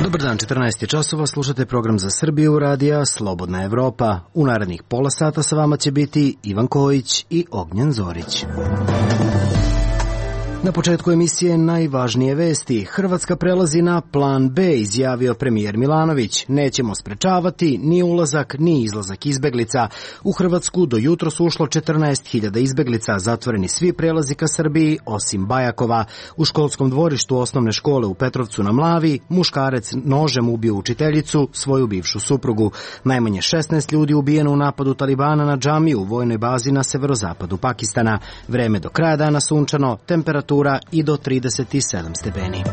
Dobar dan, 14 časova, slušate program za Srbiju radija Slobodna Evropa. U narednih pola sata sa vama će biti Ivan Kojić i Ognjen Zorić. Na početku emisije najvažnije vesti. Hrvatska prelazi na plan B, izjavio premijer Milanović. Nećemo sprečavati ni ulazak ni izlazak izbeglica. U Hrvatsku do jutros ušlo 14.000 izbeglica, zatvoreni svi prelazi ka Srbiji osim Bajakova. U školskom dvorištu osnovne škole u Petrovcu na Mlavi muškarac nožem ubio učiteljicu, svoju bivšu suprugu. Najmanje 16 ljudi ubijeno u napadu Talibana na džamiju u vojnoj bazi na severozapadu Pakistana. Vreme do kraja dana sunčano, temperatura i do 37 stepeni.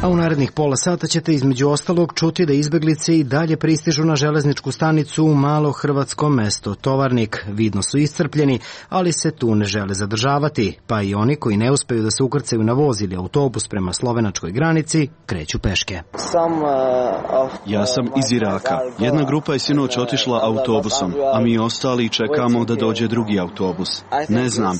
A u narednih pola sata ćete između ostalog čuti da izbeglice i dalje pristižu na železničku stanicu u malo hrvatsko mesto Tovarnik. Vidno su iscrpljeni, ali se tu ne žele zadržavati, pa i oni koji ne uspeju da se ukrcaju na voz ili autobus prema slovenačkoj granici kreću peške. Ja sam iz Iraka. Jedna grupa je sinoć otišla autobusom, a mi ostali čekamo da dođe drugi autobus. Ne znam.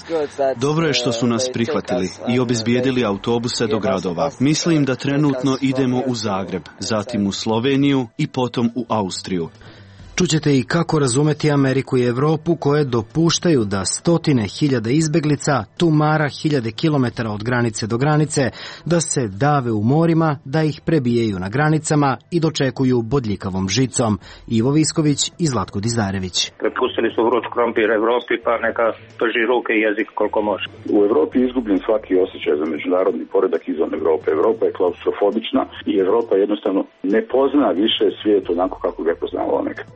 Dobro je što su nas prihvatili i obezbijedili autobuse do gradova. Mislim da trenutno idemo u Zagreb, zatim u Sloveniju i potom u Austriju. Čućete i kako razumeti Ameriku i Evropu koje dopuštaju da stotine hiljada izbeglica tumara hiljade kilometara od granice do granice, da se dave u morima, da ih prebijaju na granicama i dočekuju bodljikavom žicom. Ivo Visković i Zlatko Dizarević. Prepustili su vruć krompir Evropi, pa neka prži ruke i jezik koliko može. U Evropi je izgubljen svaki osjećaj za međunarodni poredak izvan Evrope. Evropa je klaustrofobična i Evropa jednostavno ne pozna više svijet onako kako ga je poznavalo nekad.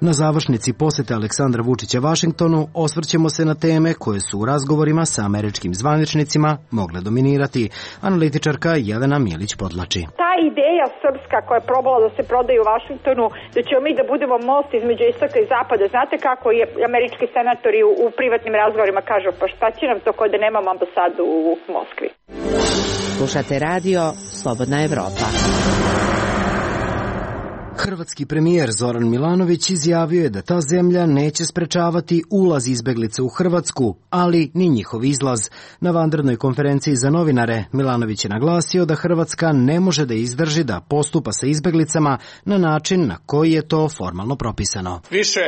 Na završnici posete Aleksandra Vučića Vašingtonu osvrćemo se na teme koje su u razgovorima sa američkim zvaničnicima mogle dominirati. Analitičarka Jelena Milić podlači. Ta ideja srpska koja je probala da se prodaje u Vašingtonu, da ćemo mi da budemo most između istoka i zapada. Znate kako je američki senatori u privatnim razgovorima kažu, pa šta će nam to ko da nemamo ambasadu u Moskvi? Slušate radio Slobodna Evropa. Hrvatski premijer Zoran Milanović izjavio je da ta zemlja neće sprečavati ulaz izbeglica u Hrvatsku, ali ni njihov izlaz. Na vanrednoj konferenciji za novinare Milanović je naglasio da Hrvatska ne može da izdrži da postupa sa izbeglicama na način na koji je to formalno propisano. Više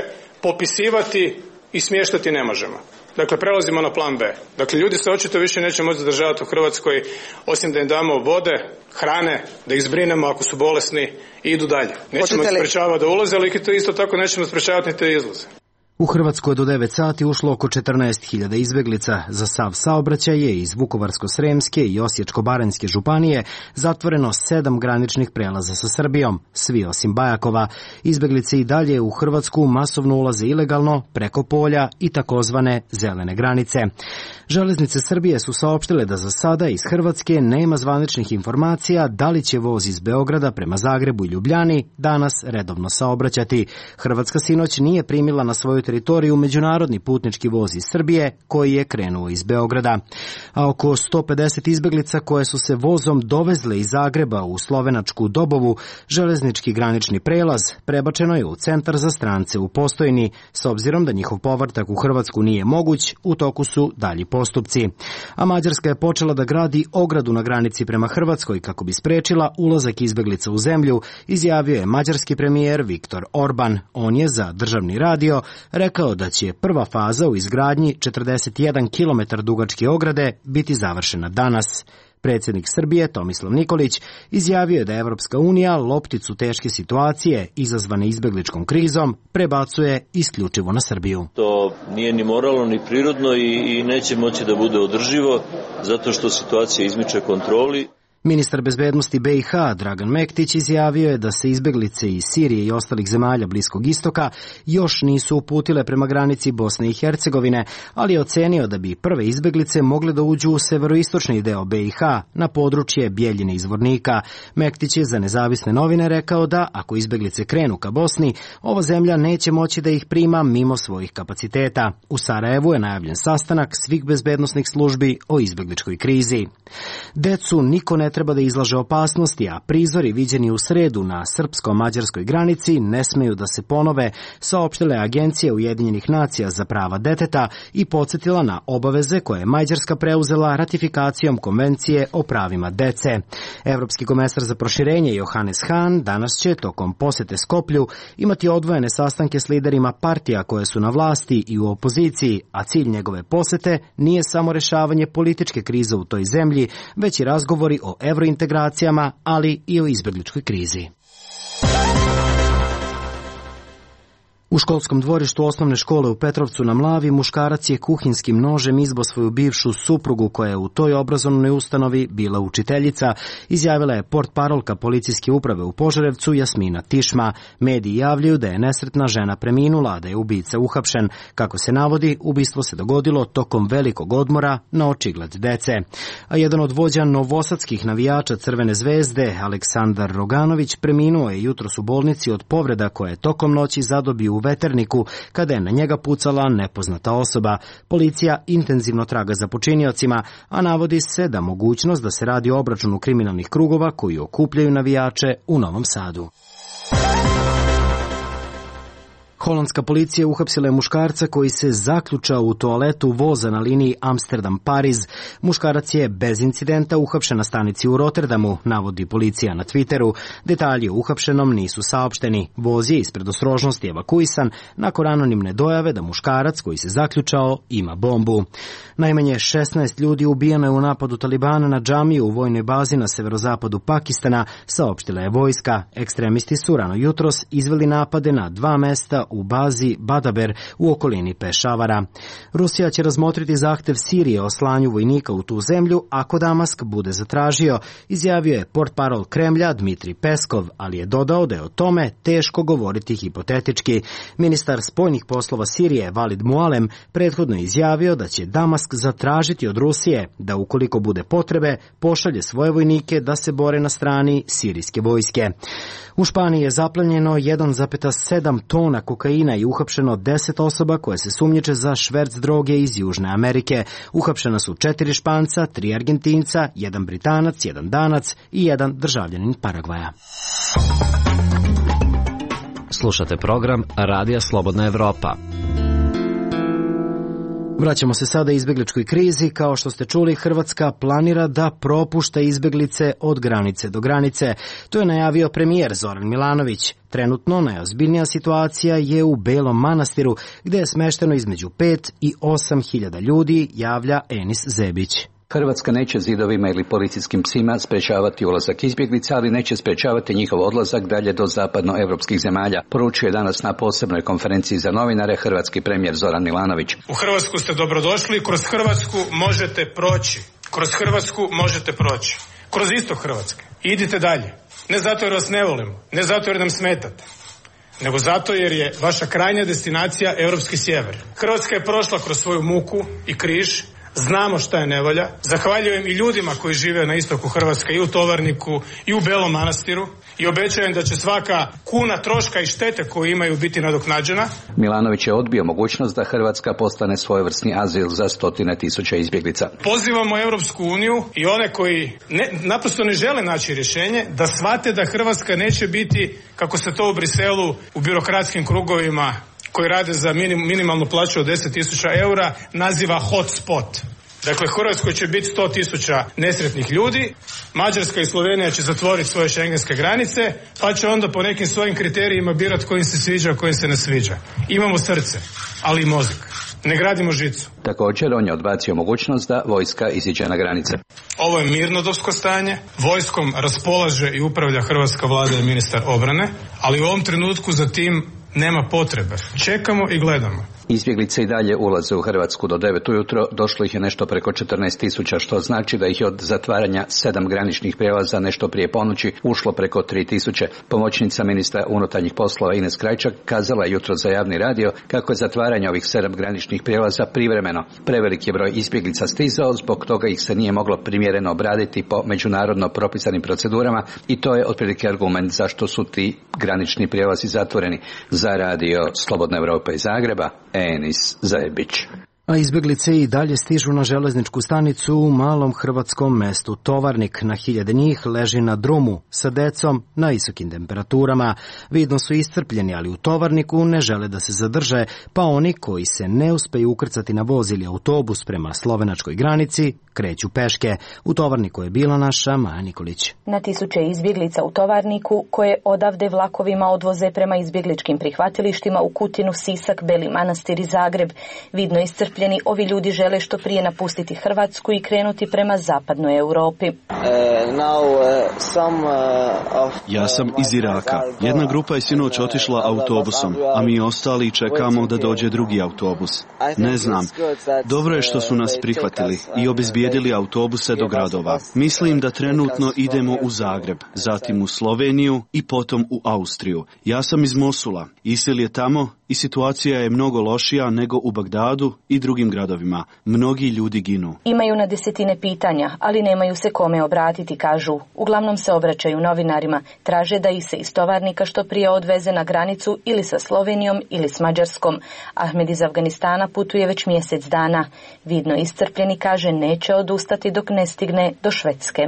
popisivati i smještati ne možemo. Dakle, prelazimo na plan B. Dakle, ljudi se očito više neće moći zadržavati u Hrvatskoj, osim da im damo vode, hrane, da ih zbrinemo ako su bolesni i idu dalje. Nećemo ih sprečavati da ulaze, ali isto tako nećemo sprečavati ni te izlaze. U Hrvatskoj do 9 sati ušlo oko 14.000 izbeglica. Za sav saobraćaj je iz Vukovarsko-sremske i Osječko-baranjske županije zatvoreno 7 graničnih prelaza sa Srbijom, svi osim Bajakova. Izbeglice i dalje u Hrvatsku masovno ulaze ilegalno preko polja i takozvane zelene granice. Železnice Srbije su saopštile da za sada iz Hrvatske nema zvaničnih informacija da li će voz iz Beograda prema Zagrebu i Ljubljani danas redovno saobraćati. Hrvatska sinoć nije primila na svoju teritoriju međunarodni putnički voz iz Srbije koji je krenuo iz Beograda. A oko 150 izbeglica koje su se vozom dovezle iz Zagreba u slovenačku Dobovu, železnički granični prelaz, prebačeno je u centar za strance u Postojni. S obzirom da njihov povratak u Hrvatsku nije moguć, u toku su dalji postupci. A Mađarska je počela da gradi ogradu na granici prema Hrvatskoj kako bi sprečila ulazak izbeglica u zemlju, izjavio je mađarski premijer Viktor Orban. On je za državni radio rekao da će prva faza u izgradnji 41 km dugačke ograde biti završena danas. Predsjednik Srbije Tomislav Nikolić izjavio je da Evropska unija lopticu teške situacije izazvane izbegličkom krizom prebacuje isključivo na Srbiju. To nije ni moralno ni prirodno i neće moći da bude održivo zato što situacija izmiče kontroli. Ministar bezbednosti BiH Dragan Mektić izjavio je da se izbeglice iz Sirije i ostalih zemalja Bliskog istoka još nisu uputile prema granici Bosne i Hercegovine, ali je ocenio da bi prve izbeglice mogle da uđu u severoistočni deo BiH, na područje Bjeljine i Zvornika. Mektić je za nezavisne novine rekao da, ako izbeglice krenu ka Bosni, ova zemlja neće moći da ih prima mimo svojih kapaciteta. U Sarajevu je najavljen sastanak svih bezbednosnih službi o izbegličkoj krizi. Decu niko ne ne treba da izlaže opasnosti, a prizori viđeni u sredu na srpsko-mađarskoj granici ne smeju da se ponove, saopštile Agencije Ujedinjenih nacija za prava deteta i podsjetila na obaveze koje je Mađarska preuzela ratifikacijom Konvencije o pravima dece. Evropski komesar za proširenje Johannes Hahn danas će tokom posete Skoplju imati odvojene sastanke s liderima partija koje su na vlasti i u opoziciji, a cilj njegove posete nije samo rešavanje političke krize u toj zemlji, već i razgovori o evrointegracijama, ali i o izbegličkoj krizi. U školskom dvorištu osnovne škole u Petrovcu na Mlavi muškarac je kuhinskim nožem izbo svoju bivšu suprugu koja je u toj obrazovnoj ustanovi bila učiteljica, izjavila je portparolka policijske uprave u Požarevcu Jasmina Tišma. Mediji javljaju da je nesretna žena preminula, a da je ubica uhapšen. Kako se navodi, ubistvo se dogodilo tokom velikog odmora na očigled dece. A jedan od vođa novosadskih navijača Crvene zvezde, Aleksandar Roganović, preminuo je jutros u bolnici od povreda koje je tokom noći zadobio u Veterniku kada je na njega pucala nepoznata osoba. Policija intenzivno traga za počiniocima, a navodi se da mogućnost da se radi o obračunu kriminalnih krugova koji okupljaju navijače u Novom Sadu. Holandska policija uhapsila je muškarca koji se zaključao u toaletu voza na liniji Amsterdam-Pariz. Muškarac je bez incidenta uhapšen na stanici u Rotterdamu, navodi policija na Twitteru. Detalji o uhapšenom nisu saopšteni. Voz je iz predostrožnosti evakuisan nakon anonimne dojave da muškarac koji se zaključao ima bombu. Najmanje 16 ljudi ubijeno je u napadu Talibana na džamiju u vojnoj bazi na severozapadu Pakistana, saopštila je vojska. Ekstremisti su rano jutros izveli napade na 2 mesta u bazi Badaber u okolini Pešavara. Rusija će razmotriti zahtev Sirije o slanju vojnika u tu zemlju ako Damask bude zatražio, izjavio je portparol Kremlja Dmitri Peskov, ali je dodao da je o tome teško govoriti hipotetički. Ministar spoljnih poslova Sirije Valid Mualem prethodno je izjavio da će Damask zatražiti od Rusije da ukoliko bude potrebe pošalje svoje vojnike da se bore na strani sirijske vojske. U Španiji je zaplenjeno 1,7 tona kokaina i uhapšeno 10 osoba koje se sumnjiče za šverc droge iz Južne Amerike. Uhapšena su 4 Španca, 3 Argentinca, 1 Britanac, 1 Danac i 1 državljanin Paragvaja. Slušate program Radija Slobodna Evropa. Vraćamo se sada izbegličkoj krizi. Kao što ste čuli, Hrvatska planira da propušta izbeglice od granice do granice. To je najavio premijer Zoran Milanović. Trenutno najozbiljnija situacija je u Belom Manastiru, gde je smešteno između 5 i 8 hiljada ljudi, javlja Enis Zebić. Hrvatska neće zidovima ili policijskim psima sprečavati ulazak izbjeglica, ali neće sprečavati njihov odlazak dalje do zapadnoevropskih zemalja, poručuje danas na posebnoj konferenciji za novinare hrvatski premijer Zoran Milanović. U Hrvatsku ste dobrodošli, kroz Hrvatsku možete proći. Kroz Hrvatsku možete proći. Kroz istok Hrvatske. Idite dalje. Ne zato jer vas ne volimo, ne zato jer nam smetate, nego zato jer je vaša krajnja destinacija europski sjever. Hrvatska je prošla kroz svoju muku i križ. Znamo šta je nevolja. Zahvaljujem i ljudima koji žive na istoku Hrvatske, i u Tovarniku, i u Belom Manastiru, i obećajem da će svaka kuna troška i štete koju imaju biti nadoknađena. Milanović je odbio mogućnost da Hrvatska postane svojevrsni azil za 100.000 izbjeglica. Pozivamo Europsku uniju i one koji naprosto ne žele naći rješenje da shvate da Hrvatska neće biti, kako se to u Briselu u birokratskim krugovima koji rade za minimalnu plaću od 10.000 eura naziva hotspot. Dakle, Hrvatskoj će biti 100.000 nesretnih ljudi, Mađarska i Slovenija će zatvoriti svoje šengenske granice, pa će onda po nekim svojim kriterijima birati koji im se sviđa, koji im se ne sviđa. Imamo srce, ali i mozak. Ne gradimo žicu. Također, on je odbacio mogućnost da vojska iziđe na granice. Ovo je mirnodopsko stanje. Vojskom raspolaže i upravlja hrvatska vlada i ministar obrane, ali u ovom trenutku za tim nema potrebe. Čekamo i gledamo. Izbjeglice i dalje ulaze u Hrvatsku do 9 ujutro, došlo ih je nešto preko 14.000, što znači da ih je od zatvaranja 7 graničnih prijelaza nešto prije ponoći ušlo preko 3.000. Pomoćnica ministra unutarnjih poslova Ines Krajčak kazala je jutro za javni radio kako je zatvaranje ovih 7 graničnih prijelaza privremeno. Prevelik je broj izbjeglica stizao, zbog toga ih se nije moglo primjereno obraditi po međunarodno propisanim procedurama i to je otprilike argument zašto su ti granični prijelazi zatvoreni. Za radio Slobodna Evropa iz Zagreba, Enis Zebić. A izbjeglice i dalje stižu na železničku stanicu u malom hrvatskom mestu Tovarnik. Na hiljade njih leži na drumu sa decom na visokim temperaturama. Vidno su iscrpljeni, ali u Tovarniku ne žele da se zadrže, pa oni koji se ne uspeju ukrcati na voz ili autobus prema slovenačkoj granici kreću peške. U Tovarniku je bila naša Maja Nikolić. Na tisuće izbjeglica u Tovarniku, koje odavde vlakovima odvoze prema izbjegličkim prihvatilištima u Kutinu, Sisak, Beli Manastir i Zagreb. Vidno iscrpljeni, ovi ljudi žele što prije napustiti Hrvatsku i krenuti prema zapadnoj Europi. Ja sam iz Iraka. Jedna grupa je sinoć otišla autobusom, a mi ostali čekamo da dođe drugi autobus. Ne znam. Dobro je što su nas prihvatili i obezbijedili autobuse do gradova. Mislim da trenutno idemo u Zagreb, zatim u Sloveniju i potom u Austriju. Ja sam iz Mosula. ISIL je tamo i situacija je mnogo lošija nego u Bagdadu i drugim gradovima. Mnogi ljudi ginu. Imaju na desetine pitanja, ali nemaju se kome obratiti, kažu. Uglavnom se obraćaju novinarima. Traže da ih se iz Tovarnika što prije odveze na granicu ili sa Slovenijom ili s Mađarskom. Ahmed iz Afganistana putuje već mjesec dana. Vidno iscrpljeni, kaže, neće odustati dok ne stigne do Švedske.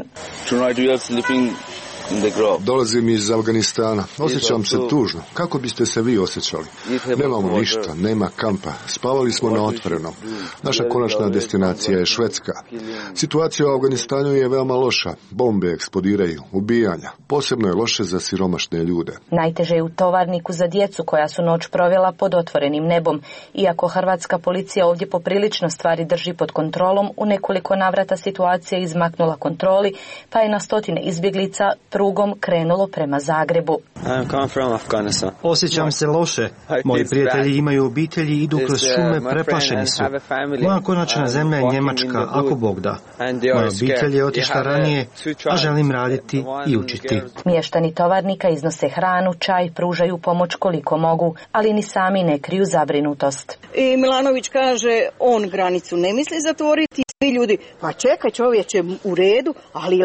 Dolazim iz Afganistana. Osjećam se tužno. Kako biste se vi osjećali? Nemamo ništa, nema kampa. Spavali smo na otvorenom. Naša konačna destinacija je Švedska. Situacija u Afganistanu je veoma loša. Bombe eksplodiraju, ubijanja. Posebno je loše za siromašne ljude. Najteže je u Tovarniku za djecu koja su noć provela pod otvorenim nebom. Iako hrvatska policija ovdje poprilično stvari drži pod kontrolom, u nekoliko navrata situacija je izmaknula kontroli, pa je na stotine izbjeglica prugom krenulo prema Zagrebu. Osjećam se loše. Moji prijatelji imaju obitelji i idu kroz šume, preplašeni su. Moja konačna zemlja je Njemačka, ako Bog da. Moja obitelj je otišla ranije, a želim raditi i učiti. Mještani Tovarnika iznose hranu, čaj, pružaju pomoć koliko mogu, ali ni sami ne kriju zabrinutost. I Milanović kaže, on granicu ne misli zatvoriti, svi ljudi, pa čekaj čovječe, u redu, ali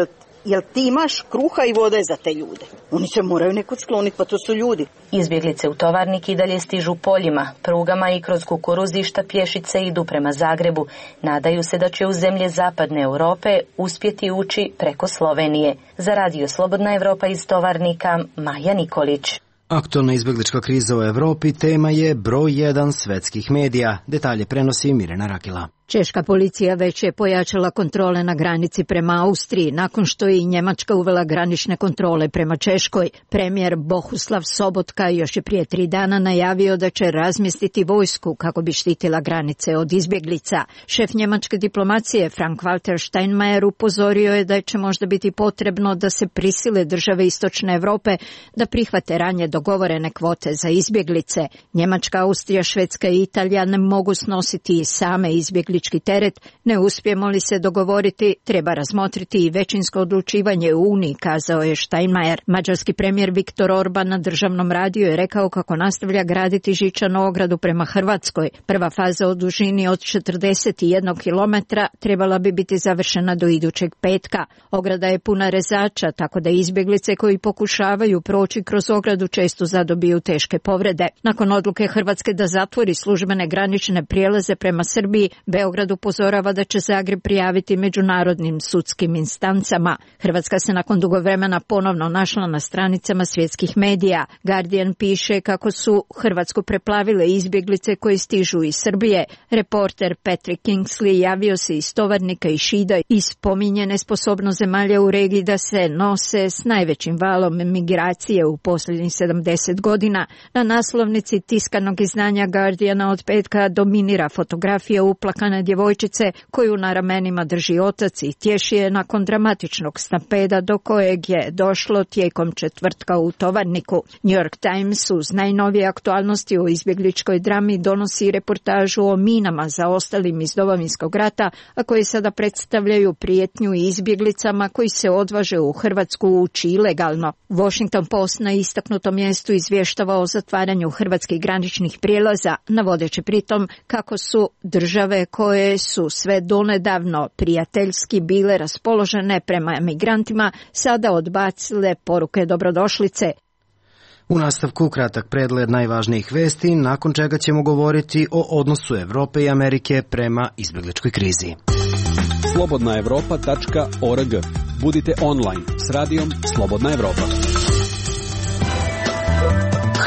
jel ti imaš kruha i vode za te ljude? Oni se moraju nekud skloniti, pa to su ljudi. Izbjeglice u Tovarnik i dalje stižu poljima, prugama i kroz kukuruzišta pješice idu prema Zagrebu. Nadaju se da će u zemlje zapadne Europe uspjeti ući preko Slovenije. Za Radio Slobodna Evropa iz Tovarnika, Maja Nikolić. Aktualna izbjeglička kriza u Europi tema je broj 1 svetskih medija. Detalje prenosi Mirena Rakila. Češka policija već je pojačala kontrole na granici prema Austriji, nakon što je i Njemačka uvela granične kontrole prema Češkoj. Premijer Bohuslav Sobotka još je prije 3 dana najavio da će razmjestiti vojsku kako bi štitila granice od izbjeglica. Šef njemačke diplomacije Frank-Walter Steinmeier upozorio je da će možda biti potrebno da se prisile države Istočne Europe da prihvate ranije dogovorene kvote za izbjeglice. Njemačka, Austrija, Švedska i Italija ne mogu snositi same izbjeglice teret. Ne uspijemo li se dogovoriti, treba razmotriti i većinsko odlučivanje u Uniji, kazao je Steinmeier. Mađarski premijer Viktor Orban na državnom radiju je rekao kako nastavlja graditi žičanu ogradu prema Hrvatskoj. Prva faza o dužini od 41 kilometra trebala bi biti završena do idućeg petka. Ograda je puna rezača, tako da izbjeglice koji pokušavaju proći kroz ogradu često zadobiju teške povrede. Nakon odluke Hrvatske da zatvori službene granične prijelaze prema Srbiji, Beograd upozorava da će Zagreb prijaviti međunarodnim sudskim instancama. Hrvatska se nakon dugo vremena ponovno našla na stranicama svjetskih medija. Guardian piše kako su Hrvatsku preplavile izbjeglice koji stižu iz Srbije. Reporter Patrick Kingsley javio se iz Tovarnika i Šida i spominje nesposobnost zemalja u regiji da se nose s najvećim valom migracije u posljednjih 70 godina. Na naslovnici tiskanog izdanja Guardiana od petka dominira fotografija uplakane djevojčice koju na ramenima drži otac i tješi je nakon dramatičnog stampeda do kojeg je došlo tijekom četvrtka u Tovarniku. New York Times uz najnovije aktualnosti o izbjegličkoj drami donosi reportažu o minama zaostalim iz Domovinskog rata, a koji sada predstavljaju prijetnju izbjeglicama koji se odvaže u Hrvatsku ući ilegalno. Washington Post na istaknutom mjestu izvještava o zatvaranju hrvatskih graničnih prijelaza, navodeći pritom kako su države koje su sve donedavno prijateljski bile raspoložene prema migrantima sada odbacile poruke dobrodošlice. U nastavku kratak pregled najvažnijih vesti, nakon čega ćemo govoriti o odnosu Evrope i Amerike prema izbegličkoj krizi. Slobodnaevropa.org. Budite online s radijom Slobodna Evropa.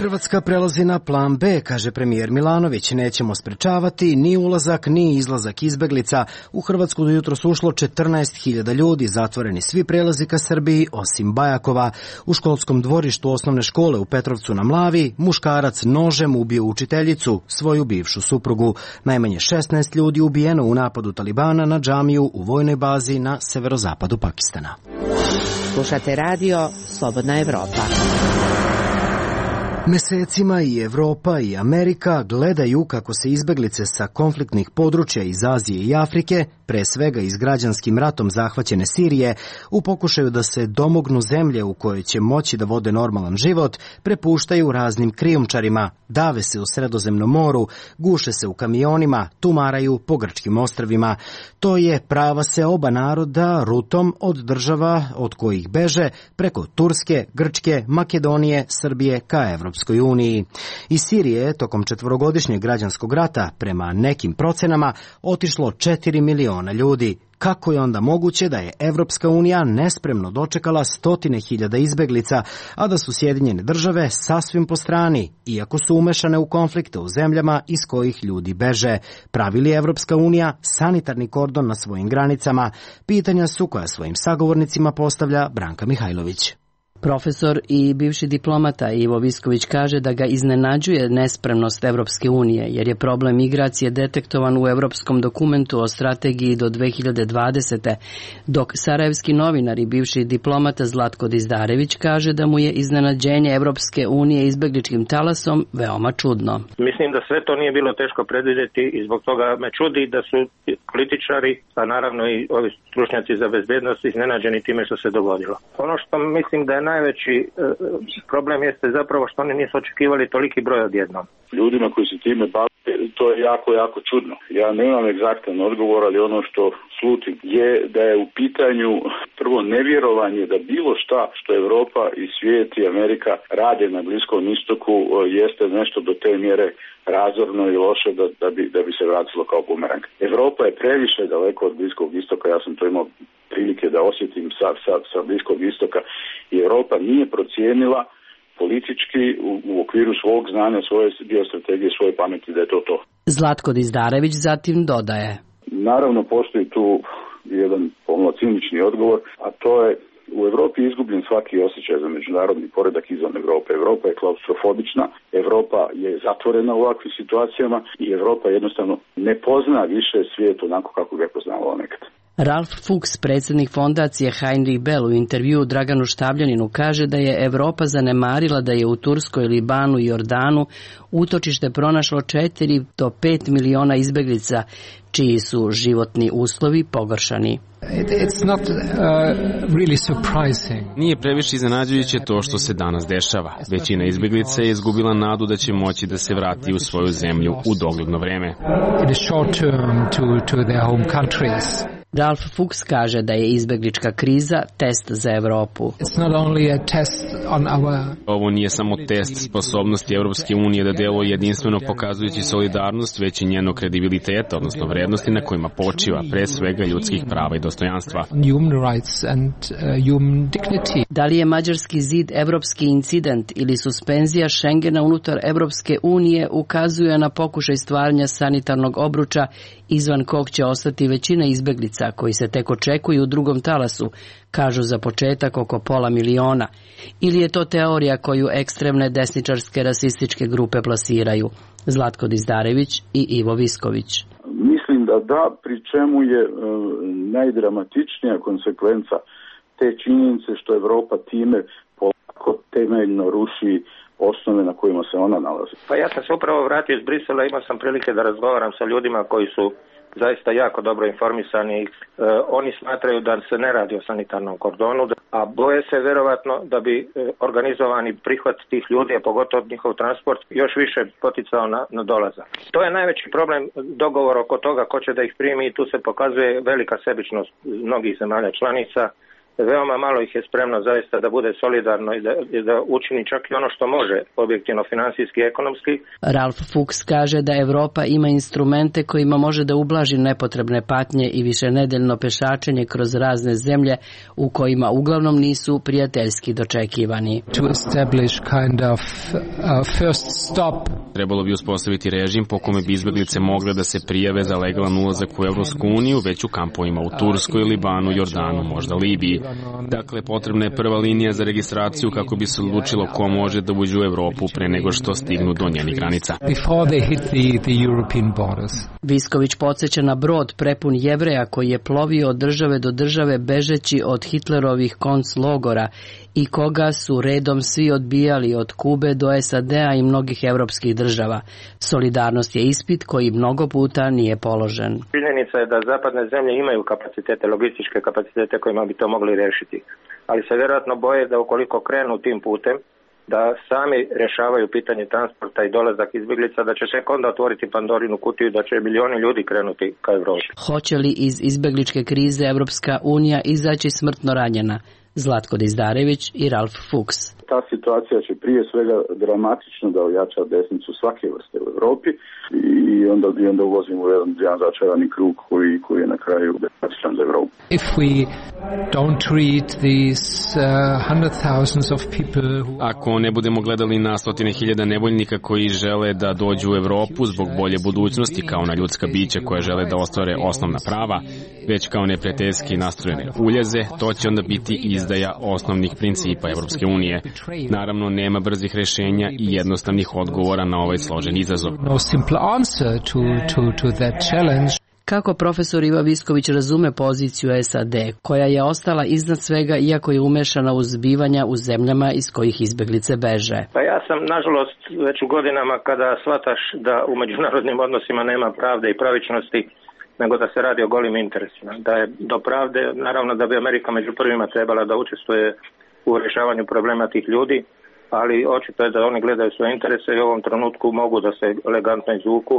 Hrvatska prelazi na plan B, kaže premijer Milanović. Nećemo sprečavati ni ulazak ni izlazak izbeglica. U Hrvatsku do jutros ušlo 14.000 ljudi, zatvoreni svi prelazi ka Srbiji osim Bajakova. U školskom dvorištu osnovne škole u Petrovcu na Mlavi muškarac nožem ubio učiteljicu, svoju bivšu suprugu. Najmanje 16 ljudi ubijeno u napadu Talibana na džamiju u vojnoj bazi na severozapadu Pakistana. Slušate radio Slobodna Evropa. Mesecima i Evropa i Amerika gledaju kako se izbeglice sa konfliktnih područja iz Azije i Afrike, pre svega iz građanskim ratom zahvaćene Sirije, u pokušaju da se domognu zemlje u kojoj će moći da vode normalan život, prepuštaju raznim krijumčarima, dave se u Sredozemnom moru, guše se u kamionima, tumaraju po grčkim ostrvima. To je prava se oba naroda rutom od država od kojih beže preko Turske, Grčke, Makedonije, Srbije ka Evropskoj uniji. Iz Sirije je tokom 4-godišnjeg građanskog rata, prema nekim procenama, otišlo 4 miliona ljudi. Kako je onda moguće da je Evropska unija nespremno dočekala 100.000 izbeglica, a da su Sjedinjene države sasvim po strani, iako su umešane u konflikte u zemljama iz kojih ljudi beže? Pravi li Evropska unija sanitarni kordon na svojim granicama? Pitanja su koja svojim sagovornicima postavlja Branka Mihajlović. Profesor i bivši diplomata Ivo Visković kaže da ga iznenađuje nespremnost Evropske unije, jer je problem migracije detektovan u Evropskom dokumentu o strategiji do 2020. Dok sarajevski novinar i bivši diplomata Zlatko Dizdarević kaže da mu je iznenađenje Evropske unije izbegličkim talasom veoma čudno. Mislim da sve to nije bilo teško predvidjeti i zbog toga me čudi da su političari, a naravno i ovi stručnjaci za bezbednost, iznenađeni time što se dogodilo. Ono što mislim da je najveći problem jeste zapravo što oni nisu očekivali toliki broj odjednom. Ljudima koji se time bave, to je jako čudno. Ja nemam egzaktan odgovor, ali ono što slutim je da je u pitanju prvo nevjerovanje da bilo šta što Europa i svijet i Amerika rade na Bliskom istoku jeste nešto do te mjere razorno i loše da bi se vratilo kao bumerang. Evropa je previše daleko od Bliskog istoka, ja sam to imao prilike da osjetim sa Bliskog istoka i Europa nije procijenila politički u okviru svog znanja, svoje biostrategije, svoje pameti da je to. Zlatko Dizdarević zatim dodaje. Naravno postoji tu jedan pomalo cinični odgovor, a to je u Europi je izgubljen svaki osjećaj za međunarodni poredak izvan Europe. Europa je klaustrofobična, Europa je zatvorena u ovakvim situacijama i Europa jednostavno ne pozna više svijet onako kako ga je poznavala nekad. Ralf Fuchs, predsjednik fondacije Heinrich Bell, u intervjuu Draganu Štabljaninu kaže da je Evropa zanemarila da je u Turskoj, Libanu i Jordanu utočište pronašlo 4 do 5 miliona izbeglica, čiji su životni uslovi pogoršani. Nije previše iznenađujuće to što se danas dešava. Većina izbeglica je izgubila nadu da će moći da se vrati u svoju zemlju u dogledno vreme. Ralf Fuchs kaže da je izbeglička kriza test za Evropu. Ovo nije samo test sposobnosti Evropske unije da deluje jedinstveno pokazujući solidarnost, već i njenog kredibiliteta, odnosno vrednosti na kojima počiva, pre svega ljudskih prava i dostojanstva. Da li je Mađarski zid evropski incident ili suspenzija Schengena unutar Evropske unije ukazuje na pokušaj stvaranja sanitarnog obruča izvan kog će ostati većina izbeglica koji se tek očekuju u drugom talasu, kažu za početak oko 500 miliona. Ili je to teorija koju ekstremne desničarske rasističke grupe plasiraju? Zlatko Dizdarević i Ivo Visković. Mislim da, pri čemu je najdramatičnija konsekvenca te činjenice što Evropa time polako temeljno ruši osnove na kojima se ona nalazi. Pa ja sam se upravo vratio iz Brisela, imao sam prilike da razgovaram sa ljudima koji su zaista jako dobro informisani. Oni smatraju da se ne radi o sanitarnom kordonu, a boje se verovatno da bi organizovani prihvat tih ljudi, a pogotovo njihov transport, još više poticao na dolazak. To je najveći problem, dogovor oko toga ko će da ih primi, i tu se pokazuje velika sebičnost mnogih zemalja članica veoma malo ih je spremno zaista da bude solidarno i da učini čak i ono što može, objektivno, finansijski i ekonomski. Ralph Fuchs kaže da Evropa ima instrumente kojima može da ublaži nepotrebne patnje i višenedeljno pešačenje kroz razne zemlje u kojima uglavnom nisu prijateljski dočekivani. Trebalo bi uspostaviti režim po kome bi izbeglice mogle da se prijave za legalan ulazak u Evropsku uniju, već u kampovima u Turskoj, Libanu, Jordanu, možda Libiji. Dakle, potrebna je prva linija za registraciju kako bi se odlučilo ko može da uđe u Evropu pre nego što stignu do njenih granica. Visković podsjeća na brod prepun Jevreja koji je plovio od države do države bežeći od Hitlerovih konclogora i koga su redom svi odbijali od Kube do SAD-a i mnogih evropskih država. Solidarnost je ispit koji mnogo puta nije položen. Činjenica je da zapadne zemlje imaju kapacitete, logističke kapacitete kojima bi to mogli rešiti. Ali se vjerojatno boje da ukoliko krenu tim putem, da sami rešavaju pitanje transporta i dolazak izbjeglica, da će se onda otvoriti Pandorinu kutiju, da će milioni ljudi krenuti ka Evropi. Hoće li iz izbjegličke krize Evropska unija izaći smrtno ranjena? Zlatko Dizdarević i Ralph Fuchs. Ta situacija će prije svega dramatično da ojača desnicu svake vrste u Evropi i onda uvozimo jedan začarani krug koji je na kraju dramatičan za Evropu. Ako ne budemo gledali na stotine hiljada nevoljnika koji žele da dođu u Evropu zbog bolje budućnosti kao na ljudska bića koje žele da ostvare osnovna prava, već kao neprijateljski nastrojene uljeze, to će onda biti izdaja osnovnih principa Evropske unije. Naravno, nema brzih rešenja i jednostavnih odgovora na ovaj složen izazov. Kako profesor Iva Visković razume poziciju SAD, koja je ostala iznad svega iako je umešana u zbivanja u zemljama iz kojih izbeglice beže? Pa ja sam, nažalost, već u godinama kada shvataš da u međunarodnim odnosima nema pravde i pravičnosti, nego da se radi o golim interesima. Da je do pravde, naravno da bi Amerika među prvima trebala da učestvuje u rješavanju problema tih ljudi, ali očito je da oni gledaju svoje interese i u ovom trenutku mogu da se elegantno izvuku.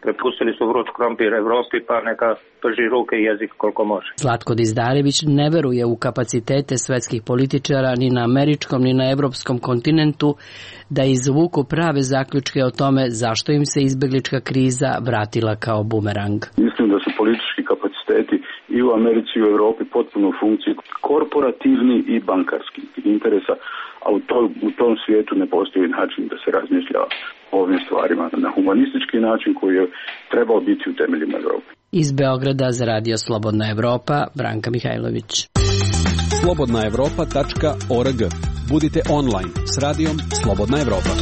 Prepustili su vruć krompir Evropi, pa neka prži ruke i jezik koliko može. Zlatko Dizdarević ne veruje u kapacitete svetskih političara ni na američkom ni na evropskom kontinentu da izvuku prave zaključke o tome zašto im se izbeglička kriza vratila kao bumerang. Mislim da su politički kapaciteti i u Americi i u Evropi potpuno u funkciji korporativni i bankarski interesa, a u tom svijetu ne postoji način da se razmišlja o ovim stvarima na humanistički način koji je trebao biti u temeljima Evrope. Iz Beograda za Radio Slobodna Evropa, Branka Mihajlović. slobodnaevropa.org. Budite online s radijom Slobodna Evropa.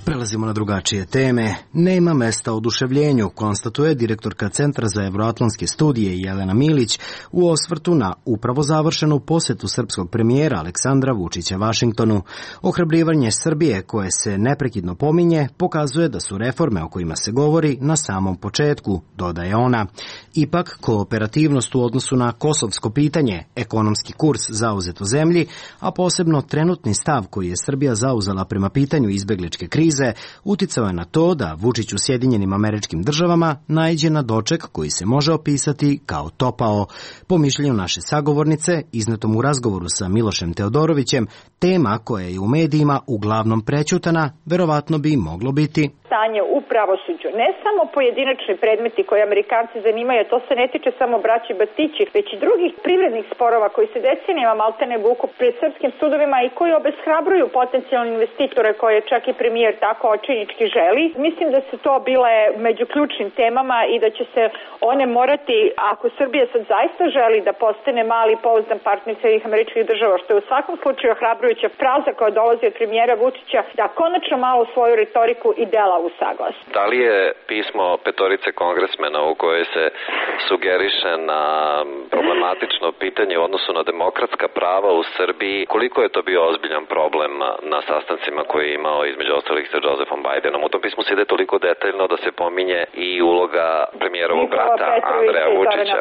Prelazimo na drugačije teme. Nema mesta oduševljenju, konstatuje direktorka Centra za evroatlantske studije Jelena Milić u osvrtu na upravo završenu posetu srpskog premijera Aleksandra Vučića Vašingtonu. Ohrabrivanje Srbije, koje se neprekidno pominje, pokazuje da su reforme o kojima se govori na samom početku, dodaje ona. Ipak, kooperativnost u odnosu na kosovsko pitanje, ekonomski kurs zauzet u zemlji, a posebno trenutni stav koji je Srbija zauzela prema pitanju izbegličke krize, uticao je na to da Vučić u Sjedinjenim Američkim Državama naiđe na doček koji se može opisati kao topao. Po mišljenju naše sagovornice, iznetom u razgovoru sa Milošem Teodorovićem, tema koja je u medijima uglavnom prećutana, verovatno bi moglo biti stanje u pravosuđu. Ne samo pojedinačni predmeti koji Amerikanci zanimaju, to se ne tiče samo braći Batići, već i drugih privrednih sporova koji se decenijama maltene vuku pred srpskim sudovima i koji obeshrabruju potencijalne investitore koje čak i premijer tako očajnički želi. Mislim da su to bile među ključnim temama i da će se one morati, ako Srbija sad zaista želi da postane mali pouzdan partner Sjedinjenih Američkih Država, što je u svakom slučaju ohrabrujuća fraza koja dolazi od premijera Vučića, da konačno malo svoju retoriku i dela usaglas. Da li je pismo petorice kongresmena u kojoj se sugeriše na problematično pitanje u odnosu na demokratska prava u Srbiji, koliko je to bio ozbiljan problem na sastancima koje je imao između ostalih sa Josephom Bidenom? U tom pismu se ide toliko detaljno da se pominje i uloga premijerovog brata Andreja Vučića.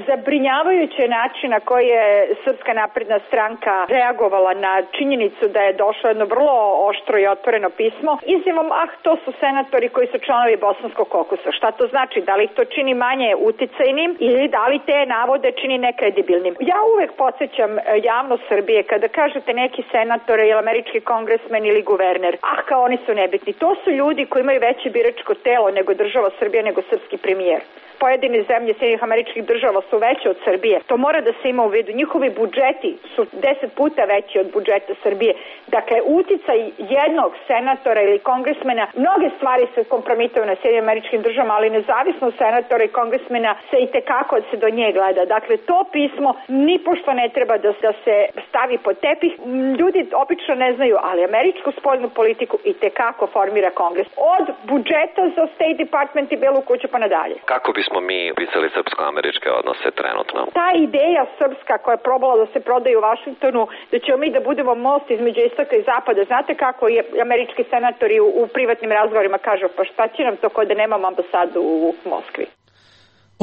Zabrinjavajuće način na koji je Srpska napredna stranka reagovala na činjenicu da je došlo jedno vrlo oštro i otvoreno pismo izjavom, to su senatori koji su članovi bosanskog kokusa. Šta to znači? Da li ih to čini manje uticajnim ili da li te navode čini nekredibilnim. Ja uvek podsjećam javnost Srbije kada kažete neki senator ili američki kongresmen ili guverner, kao oni su nebitni. To su ljudi koji imaju veće biračko telo nego država Srbija, nego srpski premijer. Pojedine zemlje Sjedinjenih Američkih Država su veće od Srbije. To mora da se ima u vidu. Njihovi budžeti su 10 puta veći od budžeta Srbije. Dakle, uticaj jednog senatora ili kongresmena, mnoge stvari se kompromituju na Sjedinjenim Američkim Državama, ali nezavisno senatora i kongresmena se i tekako se do nje gleda. Dakle, to pismo nipošto ne treba da se stavi pod tepih. Ljudi obično ne znaju, ali američku spoljnu politiku i tekako formira kongres. Od budžeta za State Department i Belu kuću pa nadalje. Kako bismo mi pisali srpsko-američke odnose trenutno? Ta ideja srpska koja je probala da se prodaje u Vašingtonu, da ćemo mi da budemo most između istoka i zapada, znate kako je američki senatori u privatnim razgovorima kažu, pa šta će nam to ko da nemamo ambasadu u Moskvi?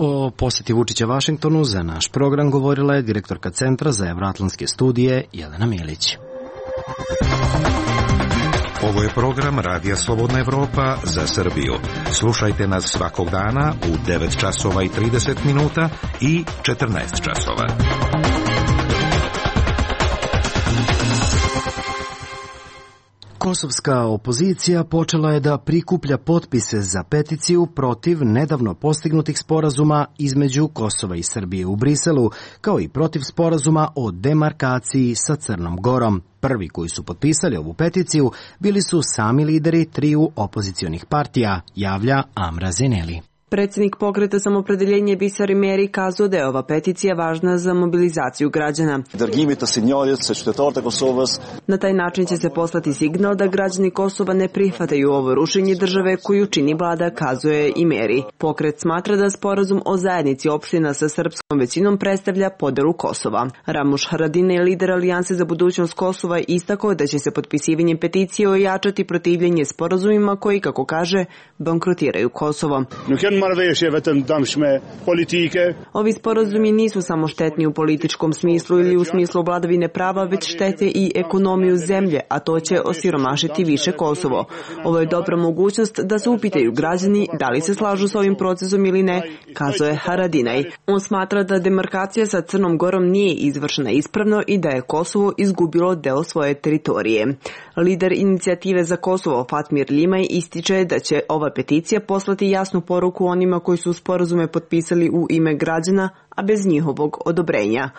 O poseti Vučića Vašingtonu za naš program govorila je direktorka Centra za evroatlantske studije Jelena Milić. Ovo je program Radija Slobodna Evropa za Srbiju. Slušajte nas svakog dana u 9 časova i 30 minuta i 14 časova. Kosovska opozicija počela je da prikuplja potpise za peticiju protiv nedavno postignutih sporazuma između Kosova i Srbije u Briselu, kao i protiv sporazuma o demarkaciji sa Crnom Gorom. Prvi koji su potpisali ovu peticiju bili su sami lideri triju opozicionih partija, javlja Amra Zeneli. Predsjednik pokreta Samopredeljenje Bisar Meri kazao da je ova peticija važna za mobilizaciju građana. Na taj način će se poslati signal da građani Kosova ne prihvataju ovo rušenje države koju čini vlada, kazuje i Meri. Pokret smatra da sporazum o zajednici opština sa srpskom većinom predstavlja podelu Kosova. Ramuš Haradinaj, lider Alijanse za budućnost Kosova, istakao da će se potpisivanjem peticije ojačati protivljenje sporazumima koji, kako kaže, bankrotiraju Kosovo. Ovi sporazumi nisu samo štetni u političkom smislu ili u smislu vladavine prava, već štete i ekonomiju zemlje, a to će osiromašiti više Kosovo. Ovo je dobra mogućnost da se upitaju građani da li se slažu s ovim procesom ili ne, kazuje Haradinaj. On smatra da demarkacija sa Crnom Gorom nije izvršena ispravno i da je Kosovo izgubilo deo svoje teritorije. Lider inicijative za Kosovo Fatmir Limaj ističe da će ova peticija poslati jasnu poruku onima koji su sporazume potpisali u ime građana, a bez njihovog odobrenja.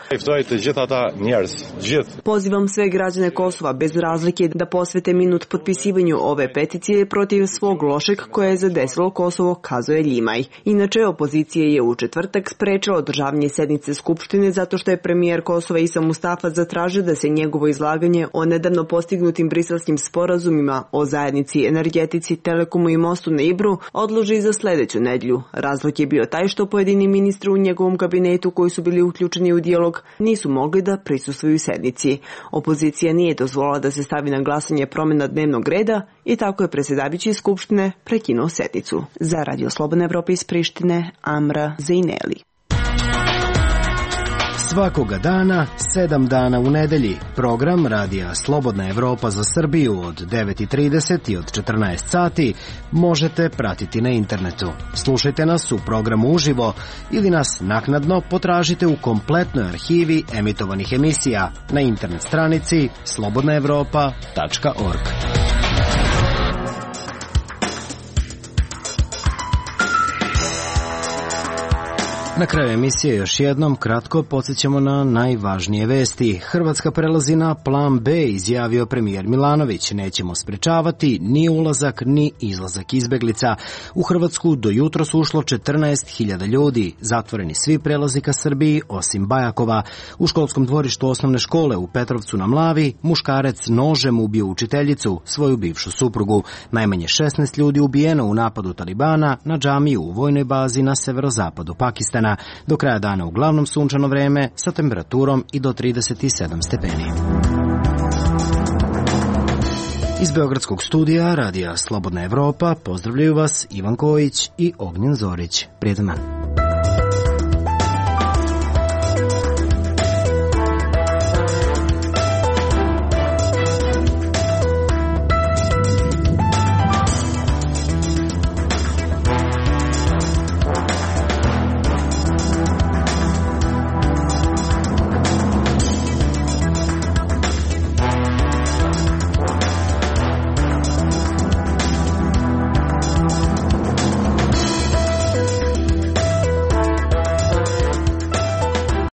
Pozivam sve građane Kosova bez razlike da posvete minut potpisivanju ove peticije protiv svog lošeg koje je zadesilo Kosovo, kazuje Limaj. Inače, opozicija je u četvrtak sprečila održavanje sednice Skupštine zato što je premijer Kosova Isa Mustafa zatražio da se njegovo izlaganje o nedavno postignutim briselskim sporazumima o zajednici, energetici, telekomu i mostu na Ibru odloži za sledeću nedjelju. Razlog je bio taj što pojedini ministri u njegovom kabinetu koji su bili uključeni u dijalog nisu mogli da prisustvuju sednici. Opozicija nije dozvolila da se stavi na glasanje promjena dnevnog reda i tako je predsjedavajući Skupštine prekinuo sednicu. Za Radio Slobodna Evropa iz Prištine, Amra Zejneli. Svakoga dana, 7 dana u nedelji, program Radija Slobodna Evropa za Srbiju od 9:30 i od 14 sati možete pratiti na internetu. Slušajte nas u programu uživo ili nas naknadno potražite u kompletnoj arhivi emitovanih emisija na internet stranici slobodnaevropa.org. Na kraju emisije još jednom kratko podsjećamo na najvažnije vesti. Hrvatska prelazi na plan B, izjavio premijer Milanović. Nećemo sprečavati ni ulazak ni izlazak izbeglica. U Hrvatsku do jutros ušlo 14.000 ljudi. Zatvoreni svi prelazi ka Srbiji osim Bajakova. U školskom dvorištu osnovne škole u Petrovcu na Mlavi muškarac nožem ubio učiteljicu, svoju bivšu suprugu. Najmanje 16 ljudi ubijeno u napadu Talibana na džamiju u vojnoj bazi na severozapadu Pakistana. Do kraja dana uglavnom sunčano vreme sa temperaturom i do 37 stepeni. Iz Beogradskog studija Radija Slobodna Evropa pozdravljaju vas Ivan Kojić i Ognjen Zorić. Prijetan dan.